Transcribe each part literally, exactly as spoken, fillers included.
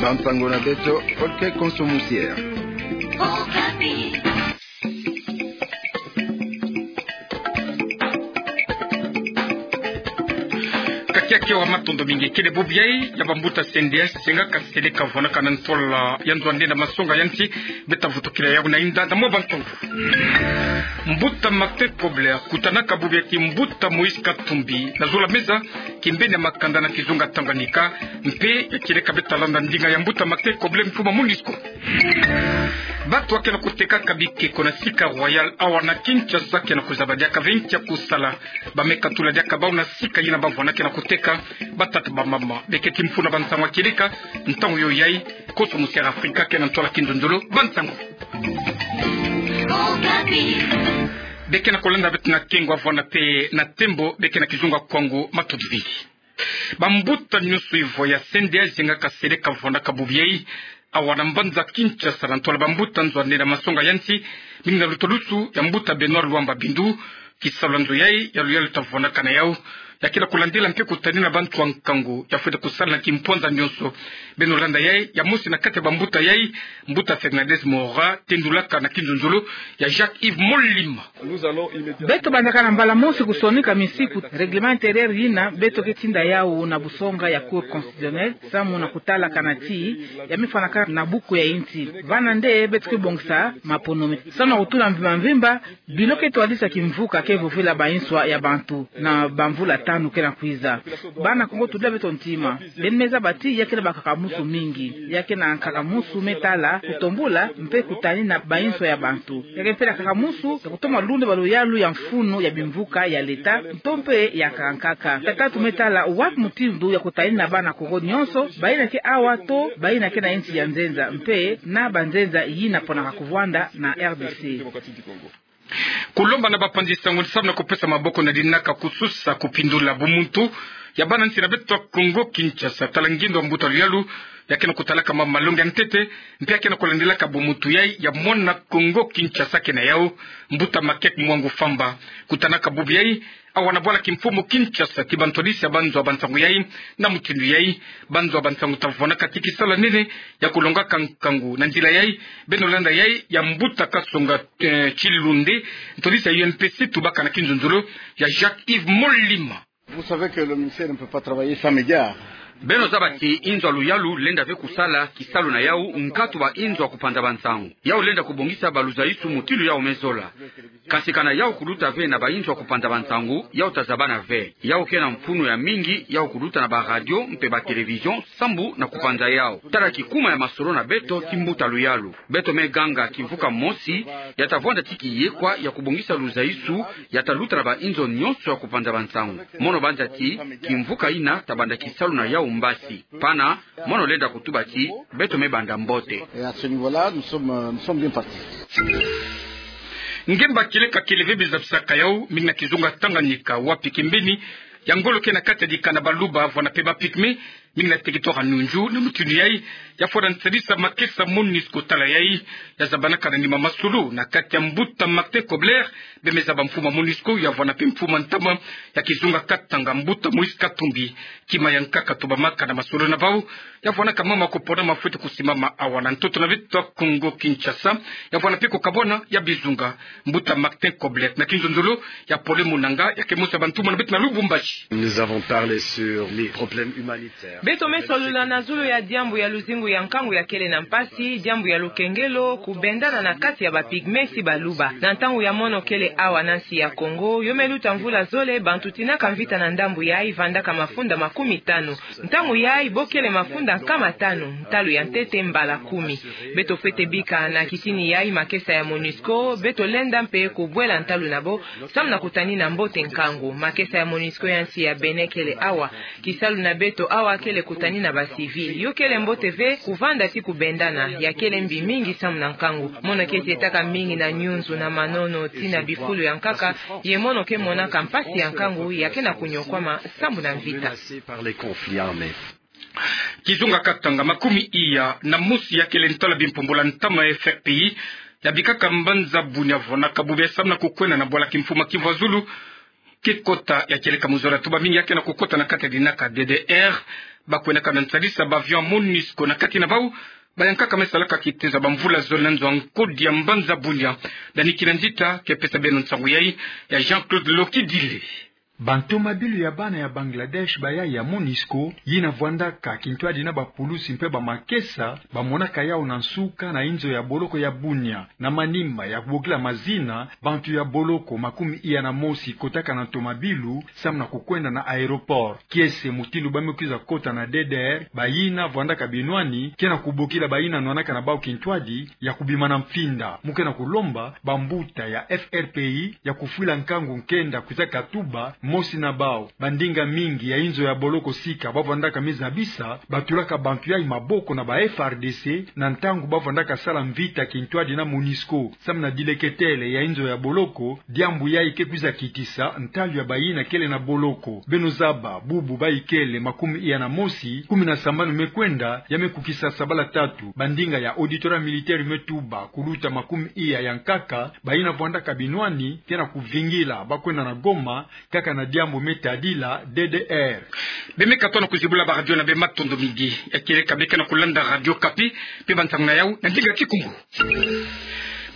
Bansango na beto, Paul Konso Musier. Kakiaki awa, matondo mingi. Kele bubu yai ya bambuta C N D S, senga ka seleka vwanaka na ntola ya nzo a nde na masonga ya nsi, beta vutukila yau na inda na mwa bansango. Mbuta Martin Kobler kutanaka bubu ya ti mbuta Moïse Katumbi na zola meza kimbeni ya makanda na kizunga Tanganyika, mpe ya kieleka beta landa ndinga ya mbuta Martin Kobler, mfumu a MONUSCO. Bantu ke na kutekaka bikeko na sika Royal awa na Kinshasa ke na kuzaba diaka venki ya kusala. Ba me katula diaka bau na sika yina bavwanda ke na kuteka. Batata, bamama, beketi mfunu a bansango ya kieleka ntangu yo yai. Konso Musier Afrika ke na ntola kinzonzolo bansango. Beke na kolanda beto na kengo, avwanda mpe na tembo, beke na kizunga Kwango, matondo mingi. Bambuta nyonso ivo ya C N D S, zenga ka seleka vwandaka bubu yai awa na mbanza Kinshasa na ntola bambuta nzo a nde na masonga ya nsi, mingi na lutulusu ya mbuta Benoît Luamba Bindu. Kisalu ya nzo yai ya luyalu ta vwandaka na yau, ya ke na kulandila mpe kutanina bantu ya nkangu ya fwete kusala na kimpwanza nyonso. Beno landa yai ya mosi na kati ya bambuta yai, mbuta Fernandez Mora, tendulaka na kinzonzolo ya Jacques Yves Molima. Beto bandaka na mbala mosi kusonika misiku, règlement intérieur yina beto ke tinda yau na busonga ya Cour constitutionnelle, samu na kutala kana ti ya me fwanaka na buku ya insi. Vana nde beto ke bongisa maponomi samu na kutula mvimba mvimba bilo ke twadisa kimvuka ke vovila banswa ya bantu na bamvula tanu ke na kwiza. Bana Kongo, tudila beto ntima. Beno me zaba ti ya ke na bakakamusu mingi. Ya ke na nkakamusu me tala kutombula mpe kutanina banswa ya bantu. Ya ke mpe na nkakamusu ya kutoma lunda baluyalu ya mfunu ya bimvuka ya leta, nto mpe ya nkaka nkaka. Ya tatu me tala wapi mutindu ya kutanina bana Kongo nyonso, bayina ke awa to bayina ke na insi ya nzenza, mpe na banzenza yina ponaka kuvwanda na R D C. Kulomba na bapanzi sango ni samu na kupesa maboko na dinaka kususa kupindula bumuntu ya bana nsi na beto Kongo Kinshasa. Tala ngindo ya mbuta luyalu, ya ke na kutalaka ma malongi ya ntete, mpe ya ke na kulandilaka bumuntu yai ya mwana Kongo Kinshasa ke na yau, mbuta Makek Mwangu Famba. Kutanaka bubu yai awa na bwala kimfumu Kinshasa ti bantwadisi ya banzo ya bansango yai, na mutindu yai banzo ya bansango ta vwandaka ti kisalu ya nene ya kulongaka nkangu. Na nzila yai, beno landa yai ya mbuta Kasonga, eh, Chilunde, ntwadisi ya U N P C, tubaka na kinzonzolo ya Jacques Yves Molima. Vous savez que le ministère ne peut pas travailler sans médias. Beno zaba ti inzo ya luyalu lenda ve kusala kisalu na yau nkatu ba inzo ya kupanza bansango. Yau lenda kubongisa baluzaisu mutindu yau me zola. Kasi kana yau kuluta ve na bainzo ya kupanza bansango, yau ta zabana ve. Yau ke na mfunu ya mingi yau kuluta na ba radio mpe ba télévision sambu na kupanza yau. Tala kikuma ya masolo na beto ti mbuta luyalu. Beto me ganga kimvuka mosi ya ta vwanda ti kiyekwa ya kubongisa luzaisu ya ta luta na bainzo nyonso ya kupanza bansango. Mono banza ti kimvuka yina ta banda kisalu na yau mbasi. Pana, mono lenda kutuba ti beto me banda mbote. Et à ce niveau-là, nous sommes, euh, nous sommes bien partis. Ngemba kieleka kele ve bizabisaka yau, mingi na kizunga Tanganyika, wapi kimbeni ya ngolo ke na kati ya dikanda Baluba, vwanda mpe ba Pygmées, mingi na territoire ya Nunju. Na mutindu yai, ya fwana nsadisa makesa MONUSCO. Tala yai ya zabanaka na nima masolo na kati ya mbuta Martin Kobler, bemeza ba mfumu a MONUSCO, ya vwanda mpe mfumu a ntama ya kizunga Katanga, mbuta Moïse Katumbi. Kima ya nkaka tubamaka na masolo na bau, ya vwanaka mama kupona ma fwete kusimama awa na ntoto na beto Kongo Kinshasa, ya vwanda mpe kukabwana ya bizunga. Mbuta Martin Kobler, na kinzonzolo ya Pole Munanga, ya ke mosi ya bantumwa na beto na Lubumbashi. Nous avons parlé sur les problèmes humanitaires. Beto me solola na zulu ya diambu ya luzingu ya nkangu ya kele na mpasi, diambu ya lukengelo, kubendana na kati ya ba Pygmées si Baluba. Na ntangu ya mono kele awa na nsi ya Kongo, yo me luta mvula zole, bantu tinaka mvita na ndambu yai vandaka mafunda makumi tanu. Ntangu yai bo kele mafunda nkama tanu, ntalu ya ntete mbala kumi. Beto fwete bika na kitini yai makesa ya MONUSCO, beto lenda mpe kubwela ntalu na bo, samu na kutanina mbote nkangu. Makesa ya MONUSCO ya nsi ya Bénin kele awa. Kisalu na beto awa kele kutanina ba civils. Yo kele mbote ve kuvanda ti kubendana, ya kele mbi mingi samu na nkangu. Mono ke tietaka mingi na nyunzu na manono ti na bifulu ya nkaka, ye mono ke monaka mpasi ya nkangu, ya ke na kunyokwama sambu na mvita. Menacé par les conflits armés. Kizunga Katanga, makumi iya na mosi ya kele ntwala bimpumbula ntama F R P I, ya bikaka mbanza Bunia, vwanaka bubu ya samu na kukwenda na bwala kimfumu a Kivu ya Zulu, ke kota ya kieleka muzola. Tuba mingi ya ke na kukota na kati ya dinaka D D R, Ba kwendaka na nsalisa ba avion MONUSCO na kati na bau, ba yankaka me salaka kitezo ya bamvula zole na nzo ya nkodi ya mbanza Bunia. Dani Kinanzita ke pesa beno nsangu yai, ya Jean-Claude Lokidile. Bantomabilu ya bana ya Bangladesh bayai ya MONUSCO, yina vwandaka kintwadi na bapulusi mpe bamakesa, bamonaka yau na nsuka na inzo ya boloko ya Bunia. Na manima ya kubokila mazina, bantu ya boloko makumi iya na mosi kotaka na ntomabilu, samu na kukwenda na aéroport. Kiese mutindu ba me kwiza kota na D D R, bayina vwandaka binwani, ke na kubokila bayina nwanaka na bau kintwadi ya kubima na mpinda. Mu ke na kulomba bambuta ya F R P I ya kufwila nkangu nkenda kwiza katuba mosi na bau. Bandinga mingi ya inzo ya boloko sika ba vwandaka me zabisa, ba tulaka bantu yai maboko na ba F A R D C, na ntangu ba vwandaka sala mvita kintwadi na MONUSCO. Samu na dileketele ya inzo ya boloko, diambu yai ke kwiza kitisa ntalu ya bayina kele na boloko. Beno zaba, bubu ba ikele makumi iya na mosi, kumi na sambanu me kwenda, ya me kukisa sabala tatu. Bandinga ya Auditorat militaire me tuba, kuluta makumi iya ya nkaka, bayina vwandaka binwani, ke na kuvingila ba kwenda na Goma, kaka na diambu me tadila D D R. Be me katono kuzibula ba radio na bê, matondo mingi. Ya kieleka bê ke na kulanda Radio Okapi, mpe bansangu na yau na ndinga Kikongo.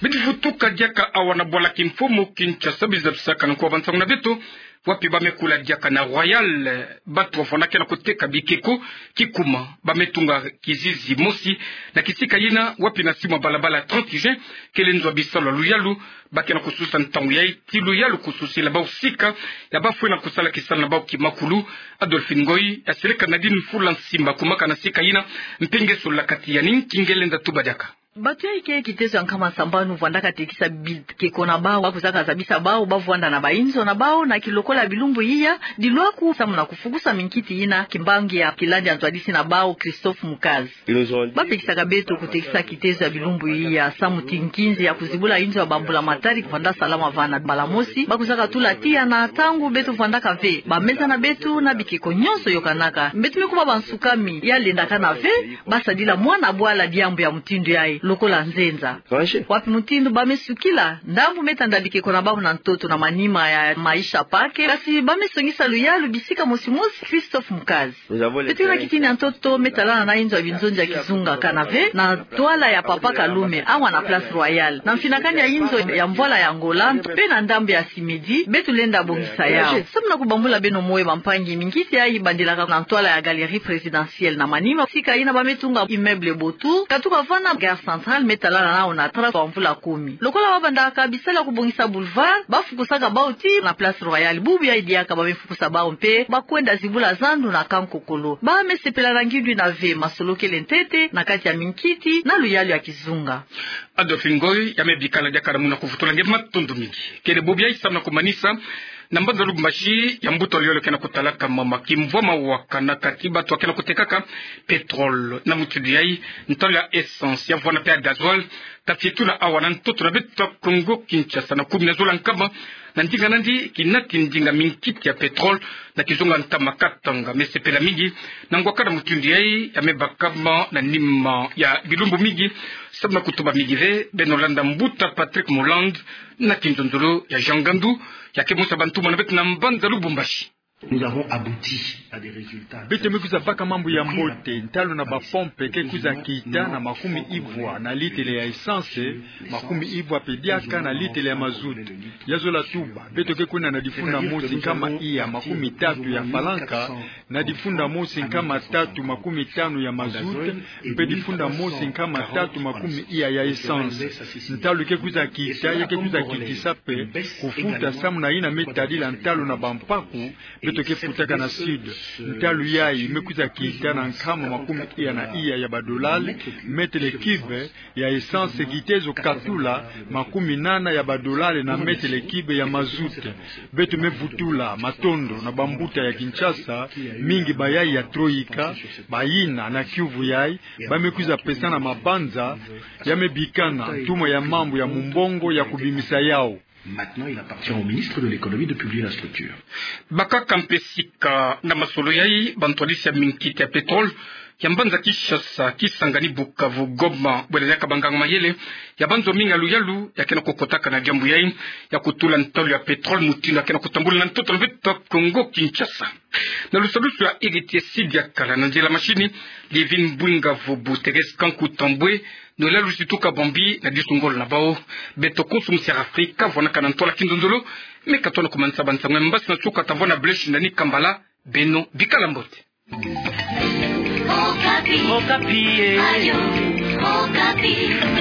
Bidi vutuka diaka awa na bwala kimfumu Kinshasa, bizi zabisaka na nkuwa bansangu na beto, wapi ba me kula diaka na Royal, eh, bantu wafwana ke na kuteka bikeko kikuma, ba me tunga kizizi mosi na kisika yina, wapi na simu ya balabala trente juin, kele nzo ya bisalu ya luyalu, ba ke na kususa ntangu yai, ti luyalu kususila bau sika ya ba fwena kusala kisalu na bau kimakulu. Adolphine Ngoy, ya seleka Nadine Mfula Nsimba, kumaka na sika yina, mpe nge sola kati ya nini ki nge lenda tuba diaka. Bantu yai ke kitezo ya nkama sambanu vwandaka tekisa bikeko na bau, ba kwizaka zabisa bau, ba vwanda na bainzo na bau, na kilokola bilumbu iya, dilwaku samu na kufukusa minkiti yina, kimbangi ya kilandi ya ntwadisi na bau, Christophe Mukazi. Ba pekisaka beto kutekisa kitezo ya bilumbu iya, samu ti nkinzi ya kuzibula inzo ya bambula matari kuvanda salama va. Na mbala mosi, ba kwizaka tula tiya na ntangu beto vwandaka ve, bameza na beto na bikeko nyonso yokanaka. Beto me kuma bansukami, ya lendaka na ve ba sadila mwana bwala diambu ya mutindu yai, lokola nzenza. Wapi mutindu ba me sukila, ndambu me tanda bikeko na bau na ntoto na manima ya maisha pake, kasi ba me songisa luyalu bisika mosi mosi, Christophe Mukazi. Beto na kitini ya ntoto me talana na inzo ya binzonzi ya kizunga kana ve, na ntwala ya Papa Kalume, awa na Place Royale, na mfinakani ya inzo ya mvwala ya Angola, mpe na ndambu ya Simedi, beto lenda bongisa yau. Samu na kubambula beno moyo bampangi, minkiti yai bandilaka na ntwala ya Galerie Présidentielle na manima, sika yina ba me tunga immeuble Botu, katuka va na Gare Centrale, me talana nao na tracé ya mvula kumi. Lokola ba bandaka bisalu ya kubongisa boulevard, ba fukusaka bau ti na Place Royale, bubu yai diaka ba me fukusa bau mpe, ba kwenda zibula zandu na Kankokolo. Ba me sepela na ngindu yina ve, masolo kele ntete na kati ya minkiti na luyalu ya kizunga. Adolphine Ngoy, ya me bikana diaka na muna kuvutula nge, matondo mingi. Kele bobo yai, samu na kumanisa, na mbanza Lubumbashi, ya mbuta luyalu ke na kutalaka mama kimvwama wa kana kati bantu ke na kutekaka pétrole, na mutindu yai, ntalu ya essence, ya vwanda mpe ya gasoil, ta fietula awa na ntoto na beto Kongo Kinshasa na kumi na zola nkama, na ndinga nandi, kina ti ndinga minkiti ya pétrole na kizunga ntama Katanga me sepela mingi na ngwa kana mutindu yai, ya me bakama na nima ya bilumbu mingi, samu na kutuba mingi ve. Beno landa mbuta Patrick Moland na kinzonzolo ya Jean Gandu, ya ke mosa bantuma na beto na mbanza Lubumbashi. Nous avons abouti à des résultats. Beto me kwiza baka mambu ya mbote, ntalu na ba pompe ke kwiza kita na makumi ivwa na litele ya essence, makumi ivwa mpe diaka na litele ya mazout. Ya zola tuba, beto ke kwenda na difunda mosi nkama iya makumi tatu ya falanka, na difunda mosi nkama tatu makumi tanu ya mazout, mpe difunda mosi nkama tatu makumi iya ya essence. Ntalu ke kwiza kita, ya ke kwiza kitisa mpe kufuta, samu na yina me tadila ntalu na bampaku beto ke futaka na Sud. Ntalu yai me kwiza kita na nkama makumi iya na iya ya badolari metele cube ya essence, kitezo katula makumi nana ya badolari na metele cube ya mazout. Beto me vutula matondo na bambuta ya Kinshasa, mingi bayai ya Troïka, bayina na kiuvu yai ba me kwiza pesana mabanza, ya me bikana ntuma ya mambu ya mumbongo ya kubimisa yau. Maintenant, il appartient au ministre de l'Économie de publier la structure. Bakaka mpe sika na masolo yai, bantwadisi ya minkiti ya pétrole ya mbanza Kinshasa, Kisangani, Bukavu, Goma, bwela diaka banganga-mayele ya banzominga luyalu ya kena kukotaka na diambu yai ya kutula ntalu ya pétrole mutindu ya kena kutambula na ntoto na mbeto Kongo Kinshasa. Na lusalusu ya Héritier Sidiakala, na nzila mashini Livin Mbwinga Vubu, Thérèse Kanku Tambwe, nwela lusitu kabambi na disu ngolo na bau. Beto konso musi ya Afrika, vwanaka na ntwala kinzonzolo, me katona kumanisa bansango ya mbasi na suka, ta vwa na Blaise Shindani Kambala. Beno bikala mbote. Okapi. Okapi, eh. Radio Okapi.